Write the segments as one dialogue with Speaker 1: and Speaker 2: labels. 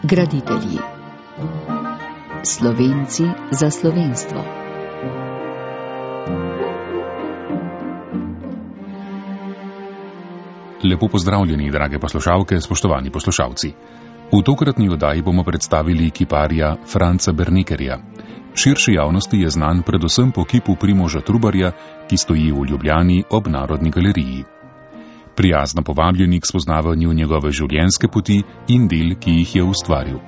Speaker 1: Graditelji. Slovenci za slovenstvo.
Speaker 2: Lepo pozdravljeni, drage poslušalke, spoštovani poslušalci. V tokratni oddaji bomo predstavili kiparja Franca Bernekerja. Širši javnosti je znan predvsem po kipu Primoža Trubarja, ki stoji v Ljubljani ob Narodni galeriji. Prijazno povabljeni k spoznavanju njegove življenjske poti in del, ki jih je ustvaril.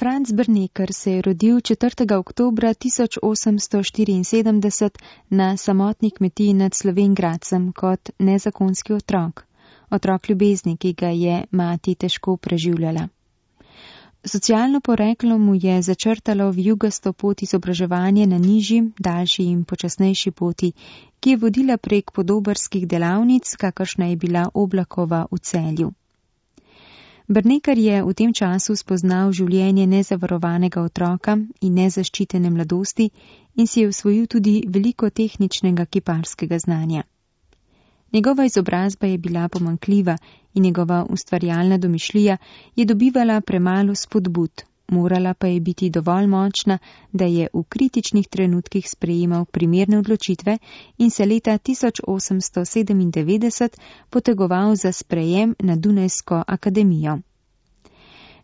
Speaker 3: Franc Berneker se je rodil 4. oktobra 1874 na samotni kmetiji nad Slovenj Gradcem kot nezakonski otrok ljubezni, ki ga je mati težko preživljala. Socialno poreklo mu je začrtalo vijugasto pot izobraževanja na nižji, daljši in počasnejši poti, ki je vodila prek podobarskih delavnic, kakršna je bila Oblakova v Celju. Berneker je v tem času spoznal življenje nezavarovanega otroka in nezaščitene mladosti in si je osvojil tudi veliko tehničnega kiparskega znanja. Njegova izobrazba je bila pomanjkljiva in njegova ustvarjalna domišljija je dobivala premalo spodbud, morala pa je biti dovolj močna, da je v kritičnih trenutkih sprejemal primerne odločitve in se leta 1897 potegoval za sprejem na Dunajsko akademijo.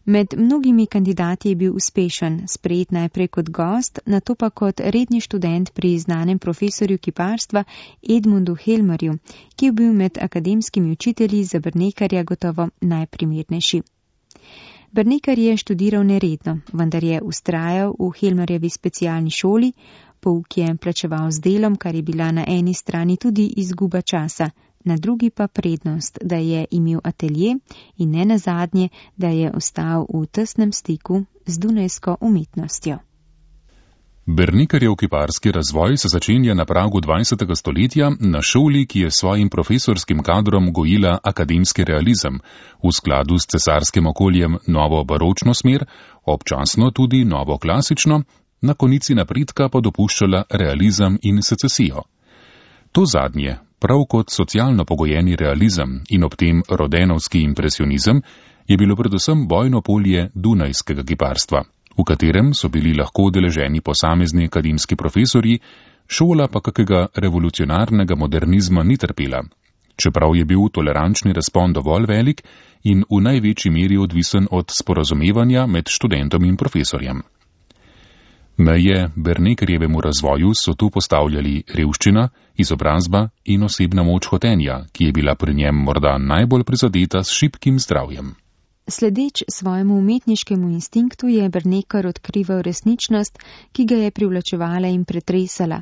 Speaker 3: Med mnogimi kandidati je bil uspešen, sprejet najprej kot gost, nato pa kot redni študent pri znanem profesorju kiparstva Edmundu Helmerju, ki je bil med akademskimi učitelji za Bernekerja gotovo najprimernejši. Berneker je študiral neredno, vendar je vztrajal v Helmerjevi specialni šoli, pouk je plačeval z delom, kar je bila na eni strani tudi izguba časa, na drugi pa prednost, da je imel atelje in ne nazadnje, da je ostal v tesnem stiku z dunajsko umetnostjo.
Speaker 2: Bernekerjev kiparski razvoj se začenja na pragu 20. stoletja na šoli, ki je svojim profesorskim kadrom gojila akademski realizem, v skladu s cesarskim okoljem novo baročno smer, občasno tudi novo klasično, na konici napredka pa dopuščala realizem in secesijo. To zadnje, prav kot socialno pogojeni realizem in ob tem rodenovski impresionizem, je bilo predvsem bojno polje dunajskega kiparstva, v katerem so bili lahko udeleženi posamezni akademski profesorji, šola pa kakega revolucionarnega modernizma ni trpela, čeprav je bil tolerančni razpon dovolj velik in v največji meri odvisen od sporazumevanja med študentom in profesorjem. Meje Bernekerjevemu razvoju so tu postavljali revščina, izobrazba in osebna moč hotenja, ki je bila pri njem morda najbolj prizadeta s šibkim zdravjem.
Speaker 3: Sledeč svojemu umetniškemu instinktu je Berneker odkrival resničnost, ki ga je privlačevala in pretresala.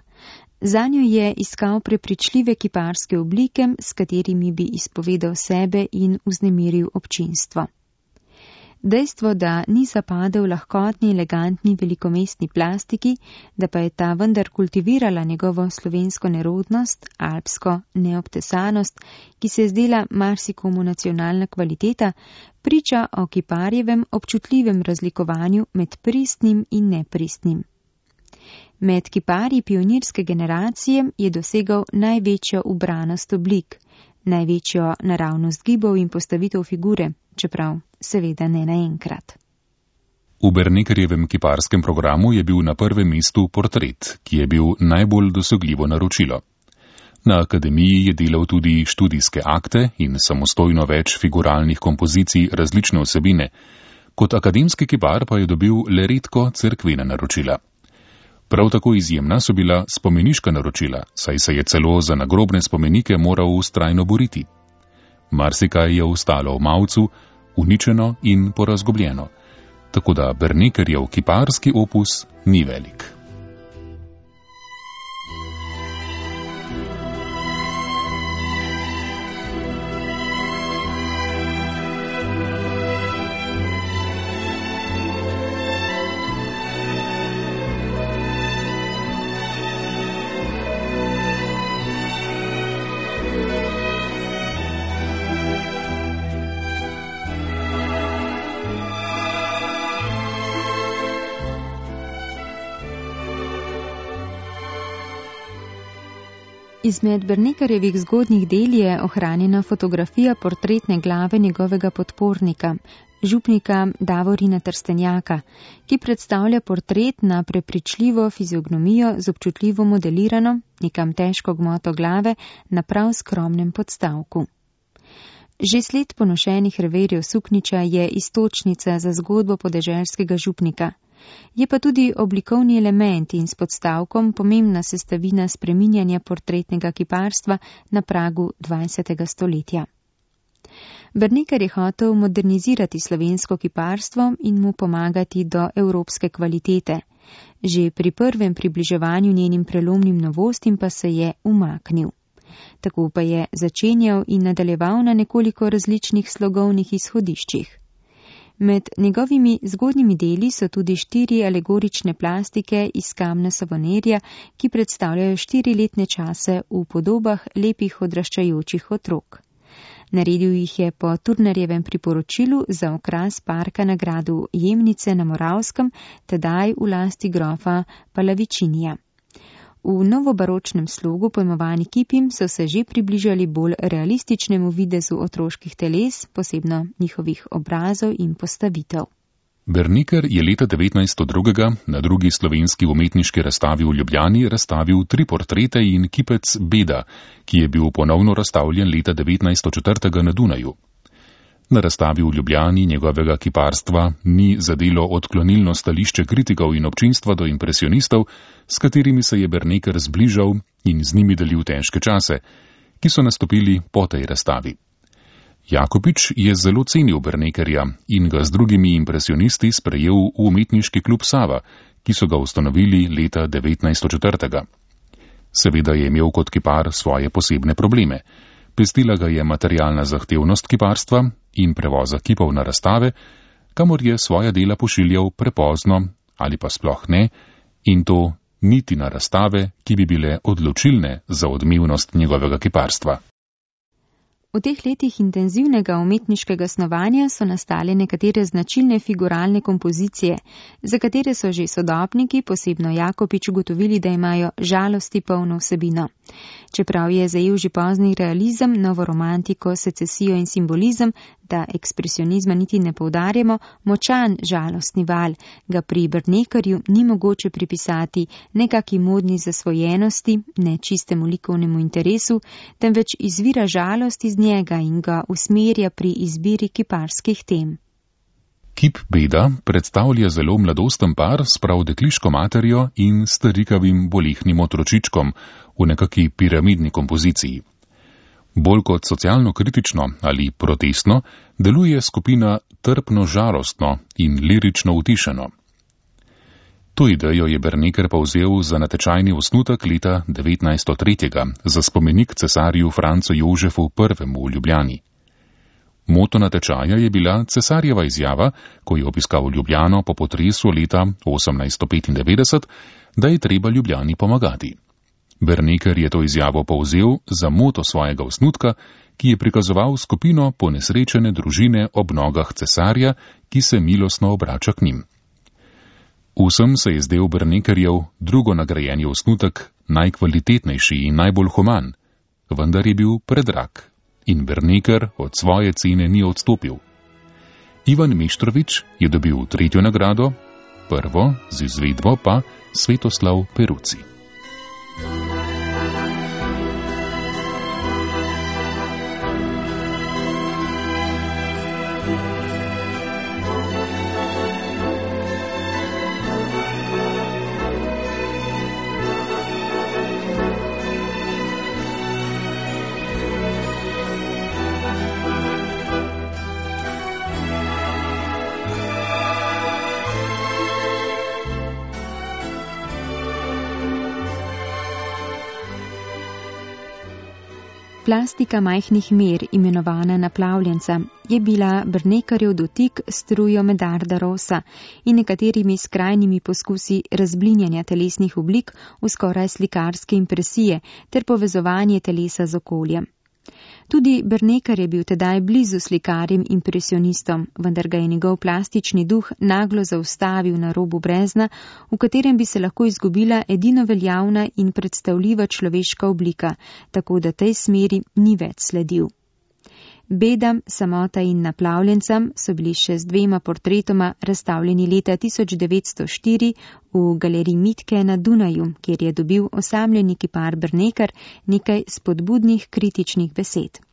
Speaker 3: Zanjo je iskal prepričljive kiparske oblike, s katerimi bi izpovedal sebe in vznemiril občinstvo. Dejstvo, da ni zapadel lahkotni, elegantni, velikomestni plastiki, da pa je ta vendar kultivirala njegovo slovensko nerodnost, alpsko neobtesanost, ki se je zdela marsikomu nacionalna kvaliteta, priča o kiparjevem občutljivem razlikovanju med pristnim in nepristnim. Med kiparji pionirske generacije je dosegal največjo ubranost oblik, največjo naravnost gibov in postavitev figure, čeprav seveda ne naenkrat.
Speaker 2: V Bernekerjevem kiparskem programu je bil na prvem mestu portret, ki je bil najbolj dosegljivo naročilo. Na akademiji je delal tudi študijske akte in samostojno več figuralnih kompozicij različne vsebine, kot akademski kipar pa je dobil le redko cerkvena naročila. Prav tako izjemna so bila spomeniška naročila, saj se je celo za nagrobne spomenike moral vztrajno boriti. Marsikaj je ostalo v mavcu, uničeno in porazgobljeno, tako da Bernekerjev kiparski opus ni velik.
Speaker 3: Izmed Bernekarjevih zgodnjih del je ohranjena fotografija portretne glave njegovega podpornika, župnika Davorina Trstenjaka, ki predstavlja portret na prepričljivo fiziognomijo z občutljivo modelirano, nekam težko gmoto glave na prav skromnem podstavku. Že sled ponošenih reverjev sukniča je iztočnica za zgodbo podeželskega župnika. Je pa tudi oblikovni element in s podstavkom pomembna sestavina spreminjanja portretnega kiparstva na pragu 20. stoletja. Bernekar je hotel modernizirati slovensko kiparstvo in mu pomagati do evropske kvalitete. Že pri prvem približevanju njenim prelomnim novostim pa se je umaknil. Tako pa je začenjal in nadaljeval na nekoliko različnih slogovnih izhodiščih. Med njegovimi zgodnjimi deli so tudi 4 alegorične plastike iz kamna Savonarja, ki predstavljajo 4-letne čase v podobah lepih odraščajočih otrok. Naredil jih je po Turnarjevem priporočilu za okras parka na gradu Jemnice na Moravskem, tedaj v lasti grofa Palavičinija. V novobaročnem slogu pojmovani kipim so se že približali bolj realističnemu videzu otroških teles, posebno njihovih obrazov in postavitev.
Speaker 2: Bernikar je leta 1902 na drugi slovenski umetniški razstavi v Ljubljani razstavil 3 portrete in kipec Beda, ki je bil ponovno razstavljen leta 1904 na Dunaju. Na razstavi v Ljubljani njegovega kiparstva ni zadelo odklonilno stališče kritikov in občinstva do impresionistov, s katerimi se je Bernikar zbližal in z njimi delil težke čase, ki so nastopili po tej razstavi. Jakopič je zelo cenil Bernikarja in ga z drugimi impresionisti sprejel v umetniški klub Sava, ki so ga ustanovili leta 1904. Seveda je imel kot kipar svoje posebne probleme. Pestila ga je materialna zahtevnost kiparstva in prevoza kipov na razstave, kamor je svoja dela pošiljal prepozno ali pa sploh ne, in to niti na razstave, ki bi bile odločilne za odmevnost njegovega kiparstva.
Speaker 3: V teh letih intenzivnega umetniškega snovanja so nastale nekatere značilne figuralne kompozicije, za katere so že sodobniki, posebno Jakopič, ugotovili, da imajo žalosti polno vsebino. Čeprav je zajel že pozni realizem, novo romantiko, secesijo in simbolizem, da ekspresionizma niti ne poudarjamo, močan žalostni val ga pri Bernekarju ni mogoče pripisati nekaki modni zasvojenosti, ne čistemu likovnemu interesu, temveč izvira žalost iz njega in ga usmerja pri izbiri kiparskih tem.
Speaker 2: Kip Beda predstavlja zelo mladosten par s prav dekliško materjo in starikavim bolehnim otročičkom v nekaki piramidni kompoziciji. Bolj kot socialno kritično ali protestno deluje skupina trpno žalostno in lirično utišeno. To idejo je Bernikar povzel za natečajni osnutek leta 1903 za spomenik cesarju Francu Jožefu I. v Ljubljani. Moto natečaja je bila cesarjeva izjava, ko je obiskal Ljubljano po potresu leta 1895, da je treba Ljubljani pomagati. Bernikar je to izjavo povzel za moto svojega osnutka, ki je prikazoval skupino ponesrečene družine ob nogah cesarja, ki se milostno obrača k njim. Vsem se je zdel Bernikarjev drugo nagrajeni osnutek najkvalitetnejši in najbolj human, vendar je bil predrag in Bernikar od svoje cene ni odstopil. Ivan Meštrović je dobil 3. nagrado, prvo z izvedbo pa Svetoslav Peruci.
Speaker 3: Plastika majhnih mer, imenovana naplavljenca, je bila Bernikarjev dotik s strujo Medarda Rosa in nekaterimi skrajnimi poskusi razblinjanja telesnih oblik v skoraj slikarske impresije ter povezovanje telesa z okoljem. Tudi Berneker je bil tedaj blizu slikarjem impresionistom, vendar ga je njegov plastični duh naglo zaustavil na robu brezna, v katerem bi se lahko izgubila edino veljavna in predstavljiva človeška oblika, tako da tej smeri ni več sledil. Bedam, samota in naplavljencem so bili še z 2 portretoma razstavljeni leta 1904 v galeriji Mitke na Dunaju, kjer je dobil osamljeni kipar Berneker nekaj spodbudnih kritičnih besed.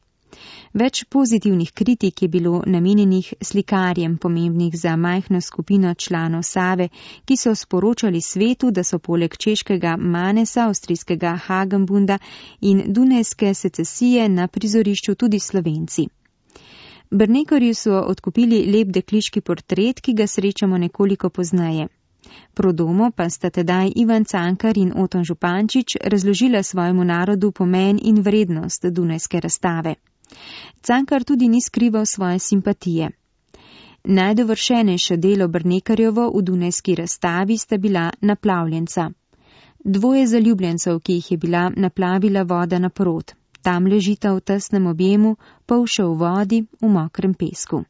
Speaker 3: Več pozitivnih kritik je bilo namenjenih slikarjem, pomembnih za majhno skupino članov Save, ki so sporočali svetu, da so poleg češkega Manesa, avstrijskega Hagenbunda in dunajske secesije na prizorišču tudi Slovenci. Bernekerju so odkupili lep dekliški portret, ki ga srečamo nekoliko pozneje. Pro domo pa sta tedaj Ivan Cankar in Oton Župančič razložila svojemu narodu pomen in vrednost dunajske razstave. Cankar tudi ni skrival svoje simpatije. Najdovršenejše delo Bernekerjevo v dunajski razstavi sta bila naplavljenca. 2 zaljubljencev, ki jih je bila naplavila voda naprot. Tam ležita v tesnem objemu, pol še v vodi, v mokrem pesku.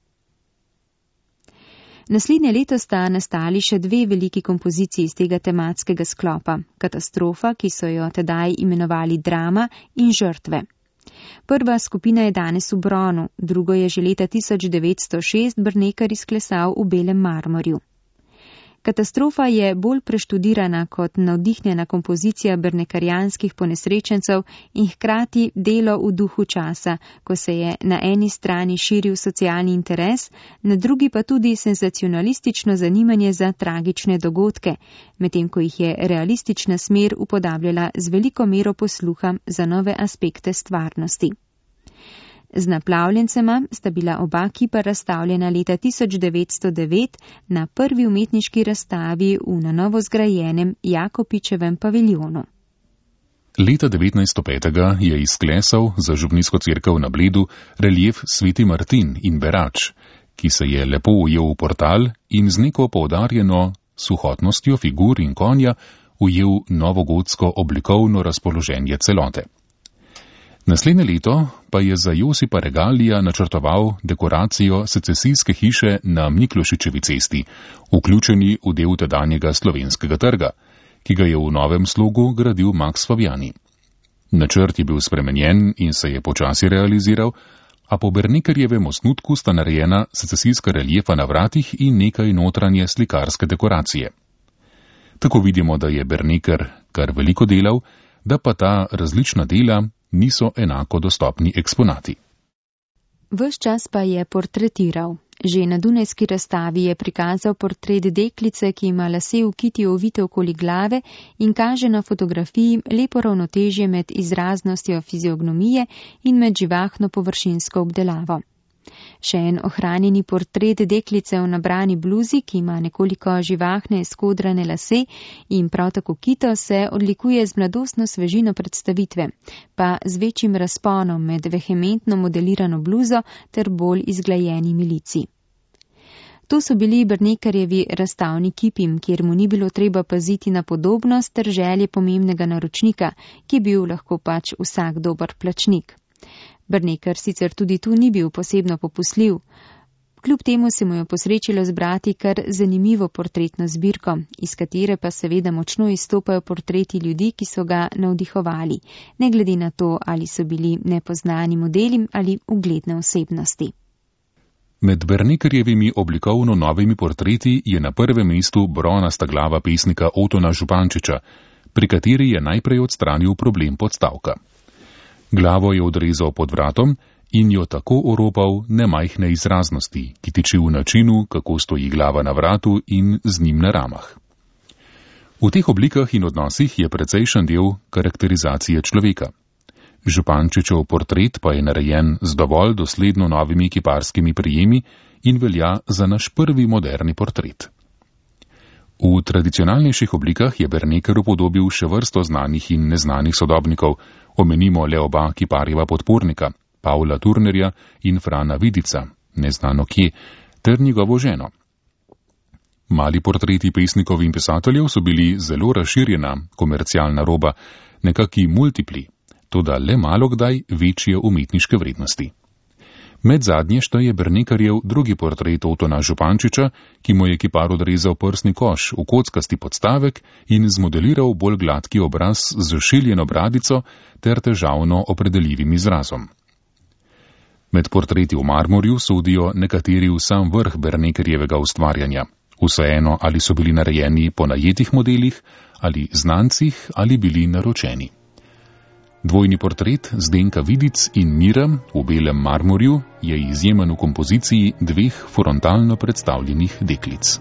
Speaker 3: Naslednje leto sta nastali še 2 veliki kompoziciji iz tega tematskega sklopa, Katastrofa, ki so jo tedaj imenovali Drama, in Žrtve. Prva skupina je danes v bronu, drugo je že leta 1906 Berneker izklesal v belem marmorju. Katastrofa je bolj preštudirana kot navdihnjena kompozicija bernekarjanskih ponesrečencev in hkrati delo v duhu časa, ko se je na eni strani širil socialni interes, na drugi pa tudi senzacionalistično zanimanje za tragične dogodke, medtem ko jih je realistična smer upodabljala z veliko mero posluha za nove aspekte stvarnosti. Z naplavljencema sta bila oba kipa razstavljena leta 1909 na prvi umetniški razstavi v na novo zgrajenem Jakopičevem paviljonu.
Speaker 2: Leta 1905 je izklesal za župnijsko cerkev na Bledu relief Sveti Martin in Berač, ki se je lepo ujel v portal in z neko poudarjeno suhotnostjo figur in konja ujel novogotsko oblikovno razpoloženje celote. Naslednje leto pa je za Josipa Regalija načrtoval dekoracijo secesijske hiše na Miklošičevi cesti, vključeni v del tedanjega Slovenskega trga, ki ga je v novem slogu gradil Max Fabiani. Načrt je bil spremenjen in se je počasi realiziral, a po Bernekerjevem osnutku sta narejena secesijska reliefa na vratih in nekaj notranje slikarske dekoracije. Tako vidimo, da je Berneker kar veliko delal, da pa ta različna dela niso enako dostopni eksponati.
Speaker 3: Ves čas pa je portretiral. Že na dunajski razstavi je prikazal portret deklice, ki ima lase v kiti ovite okoli glave in kaže na fotografiji lepo ravnotežje med izraznostjo fiziognomije in med živahno površinsko obdelavo. Še en ohranjeni portret deklice v nabrani bluzi, ki ima nekoliko živahne skodrane lase in prav tako kito, se odlikuje z mladostno svežino predstavitve, pa z večjim razponom med vehementno modelirano bluzo ter bolj izglajenimi lici. To so bili Bernekerjevi razstavni kipi, kjer mu ni bilo treba paziti na podobnost ter želje pomembnega naročnika, ki je bil lahko pač vsak dober plačnik. Berneker sicer tudi tu ni bil posebno popustljiv. Kljub temu se mu je posrečilo zbrati kar zanimivo portretno zbirko, iz katere pa seveda močno izstopajo portreti ljudi, ki so ga navdihovali, ne glede na to, ali so bili nepoznani modeli ali ugledne osebnosti.
Speaker 2: Med Bernekerjevimi oblikovno novimi portreti je na prvem mestu bronasta glava pesnika Otona Župančiča, pri kateri je najprej odstranil problem podstavka. Glavo je odrezal pod vratom in jo tako oropal nemajhne izraznosti, ki tiči v načinu, kako stoji glava na vratu in z njim na ramah. V teh oblikah in odnosih je precejšen del karakterizacije človeka. Župančičev portret pa je narejen z dovolj dosledno novimi kiparskimi prijemi in velja za naš prvi moderni portret. V tradicionalnejših oblikah je Berneker upodobil še vrsto znanih in neznanih sodobnikov, omenimo le oba kiparjeva podpornika, Pavla Turnerja in Frana Vidica, neznano kje, ter njegovo ženo. Mali portreti pesnikov in pisateljev so bili zelo razširjena komercialna roba, nekaki multipli, toda le malo kdaj večje umetniške vrednosti. Med zadnje šteje Bernekarjev drugi portret Otona Župančiča, ki mu je kipar odrezal prsni koš v kockasti podstavek in zmodeliral bolj gladki obraz z šiljeno bradico ter težavno opredeljivim izrazom. Med portreti v marmorju sodijo nekateri v sam vrh Bernekarjevega ustvarjanja. Vseeno, ali so bili narejeni po najetih modelih, ali znancih, ali bili naročeni. Dvojni portret Zdenka Vidic in Mira v belem marmorju je izjemen v kompoziciji dveh frontalno predstavljenih deklic.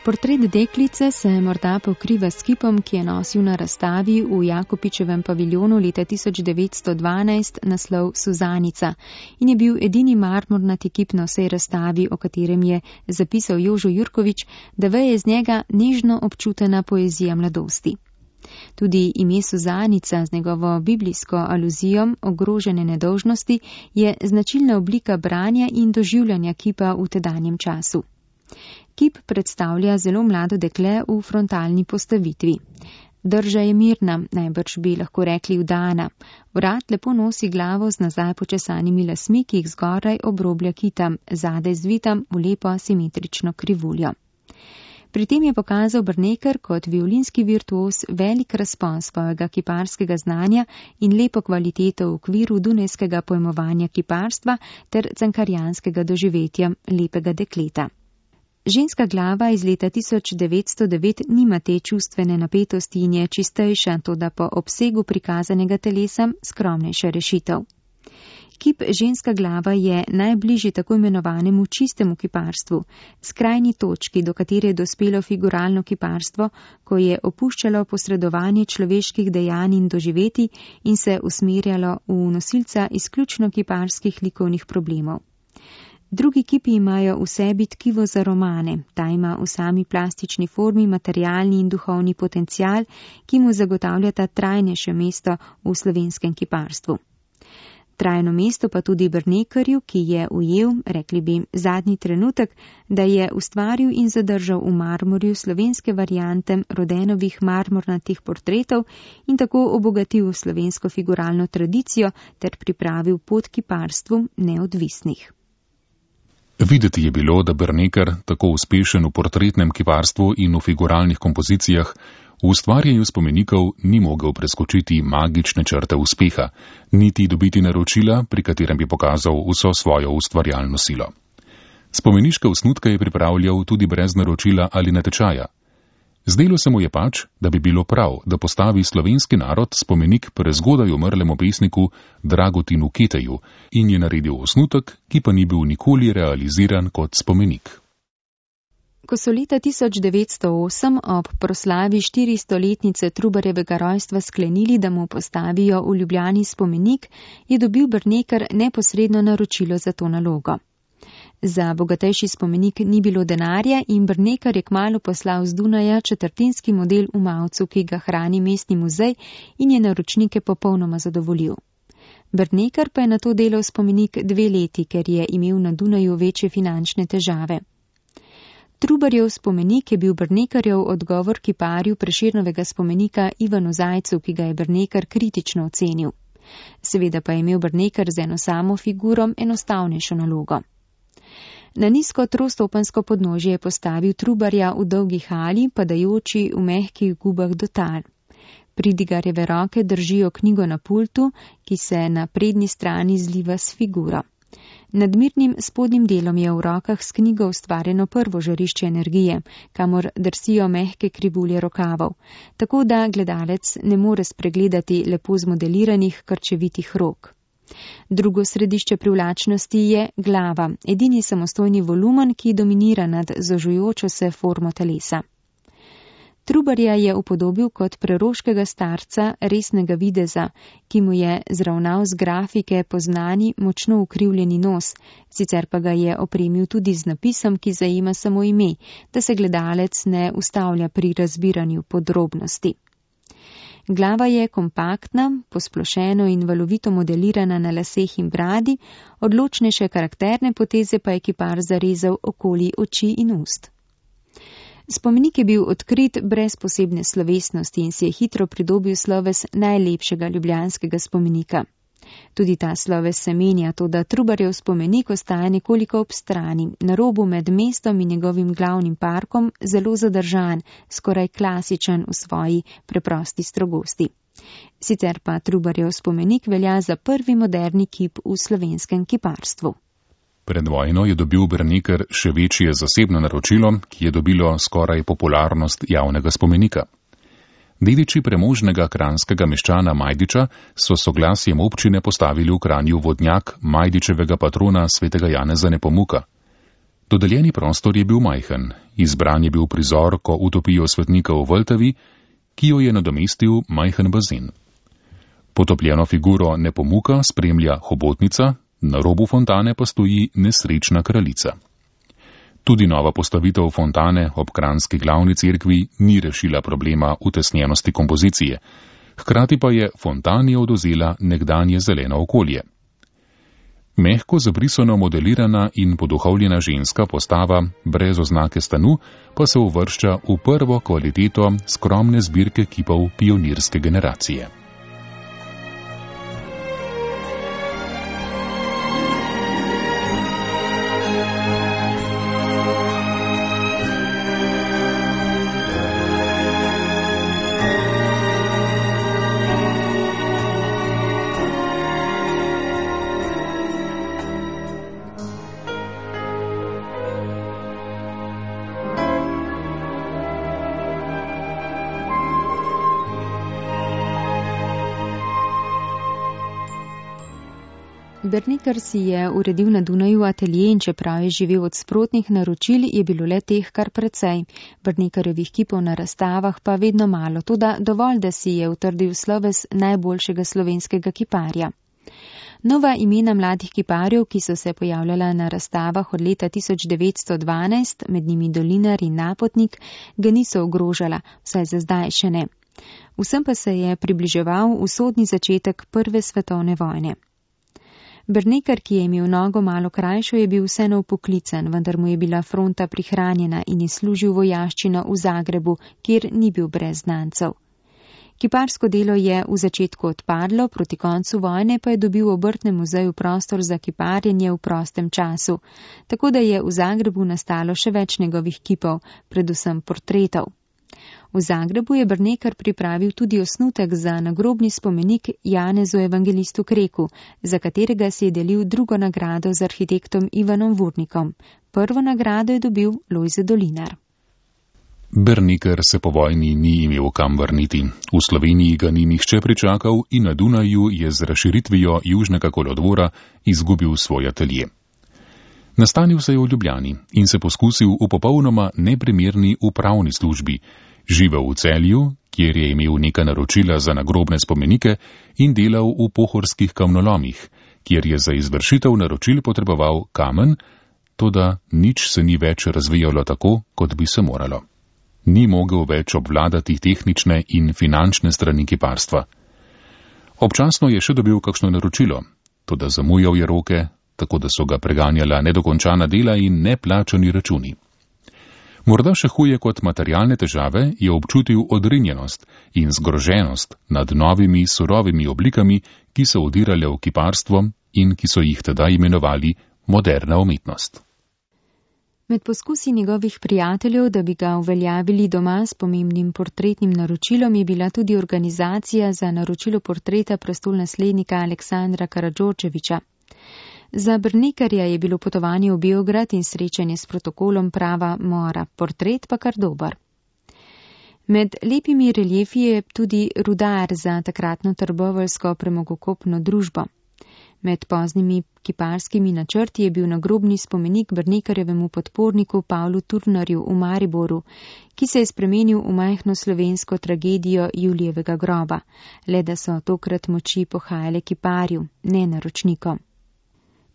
Speaker 3: Portret deklice se morda pokriva s kipom, ki je nosil na razstavi v Jakopičevem paviljonu leta 1912 naslov Suzanica in je bil edini marmornati kip na vsej razstavi, o katerem je zapisal Jožo Jurkovič, da veje iz njega nežno občutena poezija mladosti. Tudi ime Suzanica z njegovo biblijsko aluzijo ogrožene nedolžnosti je značilna oblika branja in doživljanja kipa v tedanjem času. Kip predstavlja zelo mlado dekle v frontalni postavitvi. Drža je mirna, najbrž bi lahko rekli vdana. Vrat lepo nosi glavo z nazaj počesanimi lasmi, ki jih zgoraj obroblja kita, zadaj zvita v lepo simetrično krivuljo. Pri tem je pokazal Bernekar kot violinski virtuos velik razpon svojega kiparskega znanja in lepo kvaliteto v okviru dunajskega pojmovanja kiparstva ter cankarjanskega doživetja lepega dekleta. Ženska glava iz leta 1909 nima te čustvene napetosti in je čistejša, toda po obsegu prikazanega telesa skromnejša rešitev. Kip ženska glava je najbližji tako imenovanemu čistemu kiparstvu, skrajni točki, do katere je dospelo figuralno kiparstvo, ko je opuščalo posredovanje človeških dejanj in doživeti in se usmerjalo v nosilca izključno kiparskih likovnih problemov. Drugi kipi imajo v sebi tkivo za romane, ta ima v sami plastični formi materialni in duhovni potencial, ki mu zagotavljata trajnejše mesto v slovenskem kiparstvu. Trajno mesto pa tudi Bernekarju, ki je ujel, rekli bi, zadnji trenutek, da je ustvaril in zadržal v marmorju slovenske variante Rodenovih marmornatih portretov in tako obogatil slovensko figuralno tradicijo ter pripravil pot kiparstvu neodvisnih.
Speaker 2: Videti je bilo, da Bernekar, tako uspešen v portretnem kiparstvu in v figuralnih kompozicijah, v ustvarjanju spomenikov ni mogel preskočiti magične črte uspeha, niti dobiti naročila, pri katerem bi pokazal vso svojo ustvarjalno silo. Spomeniške osnutke je pripravljal tudi brez naročila ali natečaja. Zdelo se mu je pač, da bi bilo prav, da postavi slovenski narod spomenik prezgodaj umrlemu pesniku Dragotinu Keteju in je naredil osnutek, ki pa ni bil nikoli realiziran kot spomenik.
Speaker 3: Ko so leta 1908 ob proslavi 400-letnice Trubarjevega rojstva sklenili, da mu postavijo v Ljubljani spomenik, je dobil Bernekar neposredno naročilo za to nalogo. Za bogatejši spomenik ni bilo denarja in Bernekar je kmalu poslal z Dunaja četrtinski model v Mavcu, ki ga hrani mestni muzej in je naročnike popolnoma zadovoljil. Bernekar pa je na to delal spomenik 2 leti, ker je imel na Dunaju večje finančne težave. Trubarjev spomenik je bil Bernekarjev odgovor kiparju Prešernovega spomenika Ivanu Zajcu, ki ga je Bernekar kritično ocenil. Seveda pa je imel Bernekar z eno samo figuro enostavnejšo nalogo. Na nizko trostopensko podnožje je postavil Trubarja v dolgi hali, padajoči v mehkih gubah do tal. Pridigarjeve roke držijo knjigo na pultu, ki se na prednji strani zliva s figuro. Nad mirnim spodnjim delom je v rokah s knjigo ustvarjeno prvo žarišče energije, kamor drsijo mehke krivulje rokavov, tako da gledalec ne more spregledati lepo zmodeliranih krčevitih rok. Drugo središče privlačnosti je glava, edini samostojni volumen, ki dominira nad zožujočo se formo telesa. Trubarja je upodobil kot preroškega starca resnega videza, ki mu je zravnal z grafike poznani močno ukrivljeni nos, sicer pa ga je opremil tudi z napisom, ki zajema samo ime, da se gledalec ne ustavlja pri razbiranju podrobnosti. Glava je kompaktna, posplošeno in valovito modelirana na laseh in bradi, odločnejše karakterne poteze pa je kipar zarezal okoli oči in ust. Spomenik je bil odkrit brez posebne slovesnosti in si je hitro pridobil sloves najlepšega ljubljanskega spomenika. Tudi ta sloves se menja, toda Trubarjev spomenik ostaja nekoliko ob strani, na robu med mestom in njegovim glavnim parkom, zelo zadržan, skoraj klasičen v svoji preprosti strogosti. Sicer pa Trubarjev spomenik velja za prvi moderni kip v slovenskem kiparstvu.
Speaker 2: Pred vojno je dobil Berneker še večje zasebno naročilo, ki je dobilo skoraj popularnost javnega spomenika. Dediči premožnega kranjskega meščana Majdiča so soglasjem občine postavili v Kranju vodnjak Majdičevega patrona svetega Janeza Nepomuka. Dodeljeni prostor je bil majhen, izbran je bil prizor, ko utopijo svetnika v Vltavi, ki jo je nadomestil majhen bazen. Potopljeno figuro Nepomuka spremlja hobotnica, na robu fontane pa stoji nesrečna kraljica. Tudi nova postavitev fontane ob kranjski glavni cerkvi ni rešila problema utesnjenosti kompozicije, hkrati pa je fontani odvzela nekdanje zeleno okolje. Mehko zabrisano modelirana in poduhovljena ženska postava brez oznake stanu pa se uvršča v prvo kvaliteto skromne zbirke kipov pionirske generacije.
Speaker 3: Berneker si je uredil na Dunaju atelje in čeprav je živel od sprotnih naročil, je bilo le teh kar precej. Bernekerjevih kipov na razstavah pa vedno malo, toda dovolj, da si je utrdil sloves najboljšega slovenskega kiparja. Nova imena mladih kiparjev, ki so se pojavljala na razstavah od leta 1912, med njimi Dolinar in Napotnik, ga niso ogrožala, vsaj za zdaj še ne. Vsem pa se je približeval usodni začetek Prve svetovne vojne. Berneker, ki je imel nogo malo krajšo, je bil vseeno upoklican, vendar mu je bila fronta prihranjena in je služil vojaščino v Zagrebu, kjer ni bil brez znancev. Kiparsko delo je v začetku odpadlo, proti koncu vojne pa je dobil v Obrtnem muzeju prostor za kiparjenje v prostem času, tako da je v Zagrebu nastalo še več njegovih kipov, predvsem portretov. V Zagrebu je Berneker pripravil tudi osnutek za nagrobni spomenik Janezu Evangelistu Kreku, za katerega si je delil drugo nagrado z arhitektom Ivanom Vurnikom. Prvo nagrado je dobil Lojze Dolinar.
Speaker 2: Berneker se po vojni ni imel kam vrniti. V Sloveniji ga ni nihče pričakal in na Dunaju je z razširitvijo južnega kolodvora izgubil svoj atelje. Nastanil se je v Ljubljani in se poskusil v popolnoma neprimerni upravni službi, živel v Celju, kjer je imel neka naročila za nagrobne spomenike in delal v pohorskih kamnolomih, kjer je za izvršitev naročil potreboval kamen, toda nič se ni več razvijalo tako, kot bi se moralo. Ni mogel več obvladati tehnične in finančne strani kiparstva. Občasno je še dobil kakšno naročilo, toda zamujal je roke, tako da so ga preganjala nedokončana dela in neplačani računi. Morda še huje kot materialne težave je občutil odrinjenost in zgroženost nad novimi surovimi oblikami, ki so udirale v kiparstvo in ki so jih tedaj imenovali moderna umetnost.
Speaker 3: Med poskusi njegovih prijateljev, da bi ga uveljavili doma s pomembnim portretnim naročilom, je bila tudi organizacija za naročilo portreta prestolnaslednika Aleksandra Karadžordževića. Za Bernekerja je bilo potovanje v Beograd in srečanje s protokolom prava mora, portret pa kar dober. Med lepimi reljefi je tudi rudar za takratno trboveljsko premogokopno družbo. Med poznimi kiparskimi načrti je bil nagrobni spomenik Brnekarjevemu podporniku Pavlu Turnarju v Mariboru, ki se je spremenil v majhno slovensko tragedijo Julijevega groba, le da so tokrat moči pohajale kiparju, ne naročnikom.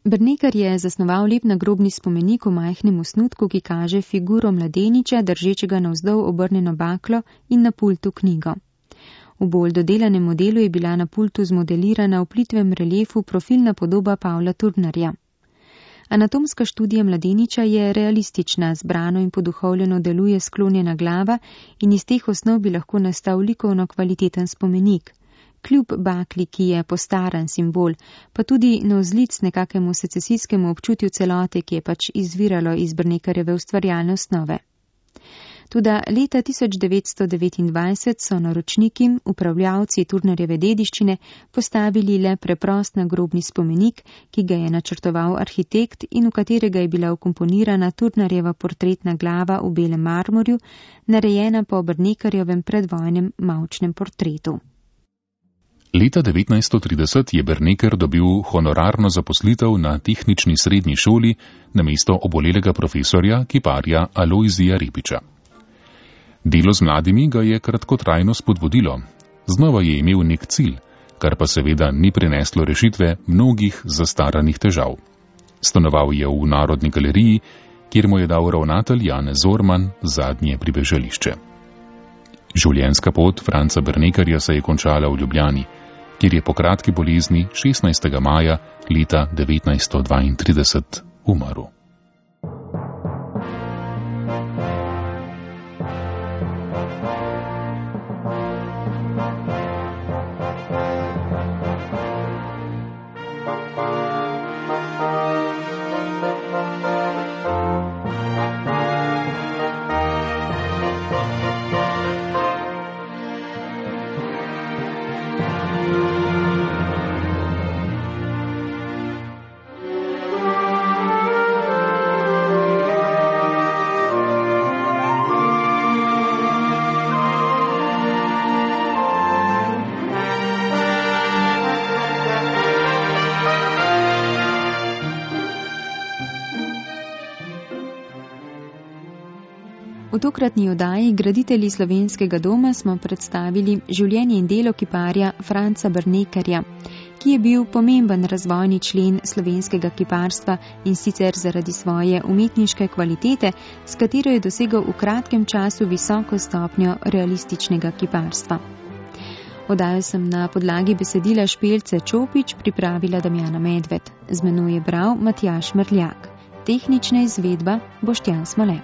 Speaker 3: Brnekar je zasnoval lep nagrobni spomenik v majhnem osnutku, ki kaže figuro mladeniča, držečega navzdol obrnjeno baklo in na pultu knjigo. V bolj dodelanem modelu je bila na pultu zmodelirana v plitvem reliefu profilna podoba Pavla Turnarja. Anatomska študija mladeniča je realistična, zbrano in poduhovljeno deluje sklonjena glava in iz teh osnov bi lahko nastal likovno kvaliteten spomenik. Kljub bakli, ki je postaran simbol, pa tudi navzlic nekakemu secesijskemu občutju celote, ki je pač izviralo iz Brnekarjeve ustvarjalne osnove. Toda leta 1929 so naročniki, upravljavci Turnarjeve dediščine, postavili le preprost nagrobni spomenik, ki ga je načrtoval arhitekt in v katerega je bila vkomponirana Turnarjeva portretna glava v belem marmorju, narejena po Brnekarjevem predvojnem mavčnem portretu.
Speaker 2: Leta 1930 je Brnekar dobil honorarno zaposlitev na tehnični srednji šoli namesto obolelega profesorja, kiparja Alojzija Repiča. Delo z mladimi ga je kratkotrajno spodbudilo. Znova je imel nek cilj, kar pa seveda ni prineslo rešitve mnogih zastaranih težav. Stanoval je v Narodni galeriji, kjer mu je dal ravnatelj Janez Zorman zadnje pribežališče. Življenjska pot Franca Brnekarja se je končala v Ljubljani, kjer je po kratki bolezni 16. maja leta 1932 umrl.
Speaker 3: V tokratni oddaji Graditelji slovenskega doma smo predstavili življenje in delo kiparja Franca Brnekarja, ki je bil pomemben razvojni člen slovenskega kiparstva in sicer zaradi svoje umetniške kvalitete, s katero je dosegal v kratkem času visoko stopnjo realističnega kiparstva. Oddajo sem na podlagi besedila Špelce Čopič pripravila Damjana Medved. Z menoj je bral Matjaž Mrljak. Tehnična izvedba Boštjan Smole.